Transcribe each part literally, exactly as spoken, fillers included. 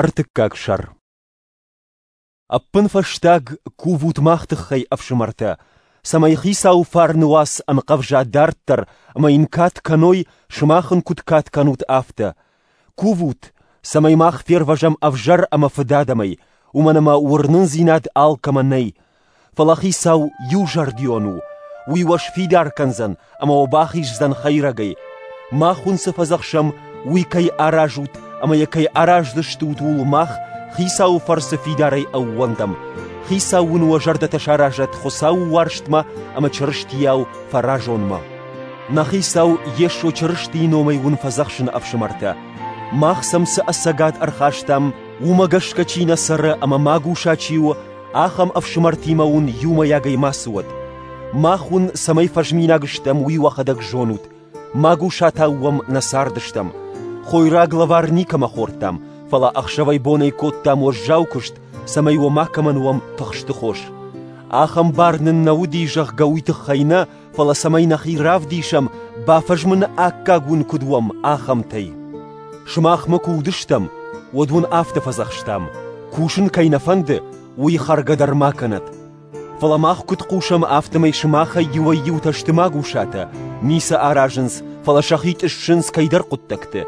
Ӕртыккаг сӕр. Ӕппынфӕстаг кувут мах тыххӕй, ӕфсымӕртӕ, цӕмӕй Хицауы фарны уац ӕнхъӕвза дарддӕр ӕмӕ йын кад кӕной, сымах ын куыд кад кӕнут, афтӕ. Кувут, цӕмӕй мах фервӕзӕм ӕвзӕр ӕмӕ фыдадӕмӕй, уымӕн ӕмӕ уырнындзинад алкӕмӕ нӕй. Фӕлӕ Хицау иузӕрдион у, уый уӕ сфидар кӕндзӕн ӕмӕ уӕ бахиздзӕн хӕйрӕгӕй. Мах уын цы фӕдзӕхсӕм, уый кӕй аразут ӕмӕ йӕ кӕй араздзыстут, ууыл мах Хицауы фӕрцы фидарӕй ӕууӕндӕм. Хицау уын уӕ зӕрдӕтӕ саразӕд Хуыцауы уарзтмӕ ӕмӕ Чырыстийау фӕразонмӕ. Нӕ Хицау Йесо Чырыстийы номӕй уын фӕдзӕхсын, ӕфсымӕртӕ, мах сӕм цы ӕцӕгад ӕрхастам, уымӕ гӕсгӕ чи нӕ цӕры ӕмӕ магуса чи у, ахӕм ӕфсымӕртимӕ уын иумӕйагӕй мацы уӕд. Мах уын цӕмӕй фӕзминаг стӕм, уый уӕхӕдӕг зонут. Магусатау уӕм нӕ цардыстӕм. Хойраг лӕвар никӕмӕ хордтам, фӕлӕ ӕхсӕвӕй-бонӕй кодтам уӕззау куыст, цӕмӕй уӕ макӕмӕн уӕм тыхсты хос. Ахӕм бар нын нӕ уыди, зӕгъгӕ, уый тыххӕй нӕ, фӕлӕ цӕмӕй нӕхи равдисӕм, бафӕзмыны аккаг уын куыд уӕм, ахӕмтӕй. Сымахмӕ куы уыдыстӕм, уӕд уын афтӕ фӕдзӕхстам: кусын кӕй нӕ фӕнды, уый хӕргӕ дӕр ма кӕнӕд. Фӕлӕ мах куыд хъусӕм, афтӕмӕй сымахӕй иуӕй-иутӕ сты магусатӕ, ницы аразынц, фӕлӕ сӕхи тъыссынц кӕйдӕр хъуыддӕгты.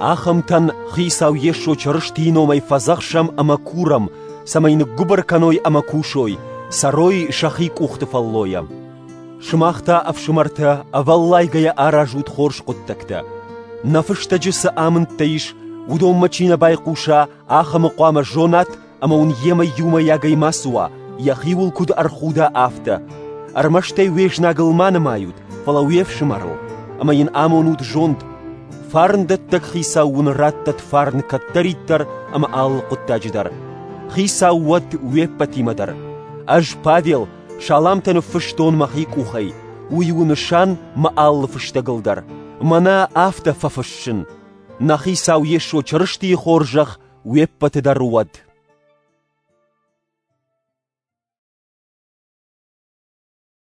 Ахӕмтӕн Хицау Йесо Чырыстийы номӕй фӕдзӕхсӕм ӕмӕ курӕм, цӕмӕй ныггуыбыр кӕной ӕмӕ кусой, цӕрой сӕхи къухты фӕллойӕ. Сымах та, ӕфсымӕртӕ, ӕвӕллайгӕйӕ аразут хорз хъуыддӕгтӕ. Нӕ фыстӕджы цы амындтӕ ис, уыдонмӕ чи нӕ байхъуса, ахӕмы хъуамӕ зонат ӕмӕ уын йемӕ иумӕйагӕй мацы уа, йӕхиуыл куыд ӕрхуда, афтӕ. Ӕрмӕст ӕй уе знагыл ма нымайут, фӕлӕ уе фсымӕрыл, ӕмӕ йын амонут зонд. Фарндӕттӕг Хицау уын раттӕд фарн кӕддӕриддӕр ӕмӕ алы хъуыддаджы дӕр. Хицау уӕд уе ппӕтимӕ дӕр. Ӕз, Павел, саламтӕ ныффыстон мӕхи къухӕй. Уый у нысан мӕ алы фыстӕгыл дӕр. Мӕнӕ афтӕ фӕфыссын. Нӕ Хицау Йесо Чырыстийы хорзӕх уе ппӕты дӕр уӕд.